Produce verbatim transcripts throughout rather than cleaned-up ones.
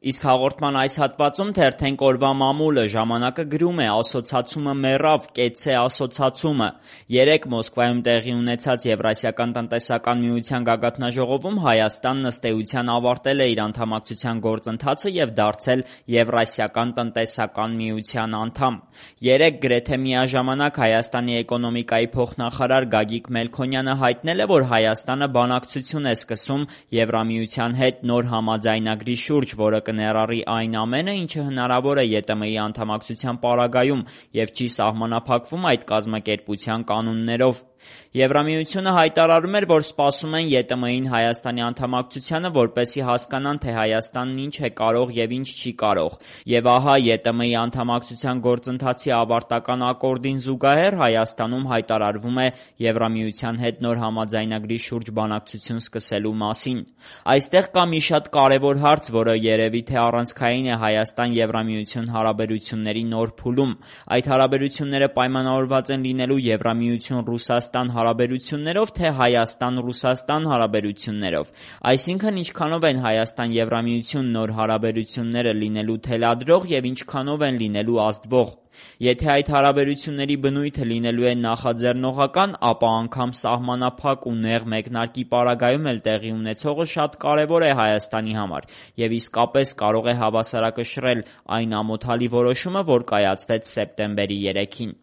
Իսկ հաղորդման այս հատվածում թերթենք օրվա մամուլը, ժամանակը գրում է ասոցացումը մեռավ, կեցցե ասոցացումը։ Երեկ Մոսկվայում տեղի ունեցած Եվրասիական տնտեսական միության գագաթնաժողովում Հայաստանն ըստ էության ավարտել է իր անդամակցության գործընթացը և դարձել Եվրասիական տնտեսական միության անդամ։ Երեկ գրեթե միաժամանակ Հայաստանի էկոնոմիկայի փոխնախարար Գագիկ Մելքոնյանը հայտնել է, որ Հայաստանը բանակցություն է սկսում Եվրամիության հետ նոր համաձայնագրի շուրջ, որը կներառի այն ամենը, ինչը հնարավոր է Ե Տ Մ-ի անդամակցության պարագայում և չի սահմանափակվում այդ կազմակերպության կանոններով։ Եվրամիությունը հայտարարում էր, որ սպասում են Ե Տ Մ-ին Հայաստանի անդամակցությանը, որպեսզի հասկանան, թե Հայաստանն ինչ է կարող և ինչ չի կարող։ Եվ ահա Ե Տ Մ-ի անդամակցության գործընթացի ավարտական ակորդին զուգահեռ Հայաստանում հայտարարվում է Եվրամիության հետ նոր համաձայնագրի շուրջ բանակցություն սկսելու մասին։ Այստեղ կա մի շատ կարևոր հարց, որը երևի թե առանցքային է Հայաստան-Եվրամիություն հարաբերությունների նոր փուլում։ Այդ հարաբերությունները պայմանավորված են լինելու Եվրամիություն-Ռուսաստան հարաբերություններով, թե Հայաստան-Ռուսաստան հարաբերություններով։ Այսինքն, ինչքանով են Հայաստան-Եվրամիություն նոր հարաբերությունները լինելու թելադրող և ինչքանով են լինելու ազդվող։ Եթե այդ հարաբերությունների բնույթը լինելու է նախաձեռնողական, ապա անգամ սահմանափակ ու նեղ մեկնարկի պարագայում էլ տեղի ունեցողը շատ կարևոր է Հայաստանի համար և իսկապես կարող է հավասարակշռել այն ամոթալի որոշումը, որ կայացվեց սեպտեմբերի երեքին։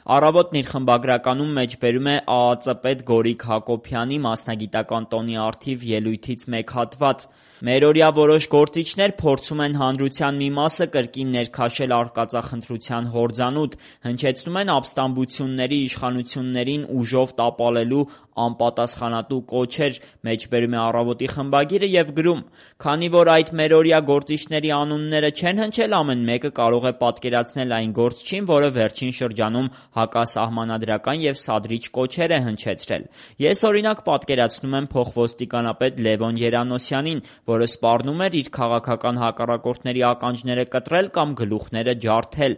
Առավոտն իր խմբագրականում մեջբերում է Ա Ծ պետ Գորիկ Հակոբյանի մասնագիտական տոնի առթիվ ելույթից մեկ հատված։ Մերօրյա որոշ գործիչներ փորձում են հանրության մի մասը կրկին ներքաշել արկածախնդրության հորձանուտ, հնչեցնում են ապստամբությունների, իշխանություններին ուժով տապալելու անպատասխանատու կոչեր, մեջբերում է Առավոտի խմբագիրը և գրում. «Քանի որ այդ մերօրյա գործիչների անունները չեն հնչել, ամեն մեկը կարող է պատկերացնել այն գործչին, որը վերջին շրջանում հակասահմանադրական և սադրիչ կոչեր է հնչեցրել։ Ես օրինակ պատկերացնում եմ փոխոստիկանապետ Լևոն Երանոսյանին, որը սպառնում էր իր քաղաքական հակառակորդների ականջները կտրել կամ գլուխները ջարդել։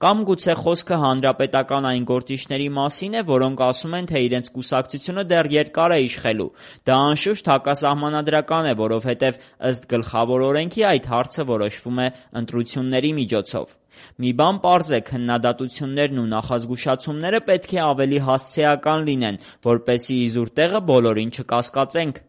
Կամ գուցե խոսքը հանրապետական այն գործիչների մասին է, որոնք ասում են, թե իրենց կուսակցությունը դեռ երկար է իշխելու։ Դա անշուշտ հակասահմանադրական է, որովհետև ըստ գլխավոր օրենքի այդ հարցը որոշվում է ընտրությունների միջոցով։ Մի բան պարզ է՝ քննադատություններն ու նախազգուշացումները պետք է ավելի հասցեական լինեն, որպեսզի իզուր տեղը բոլորին չկասկածենք»։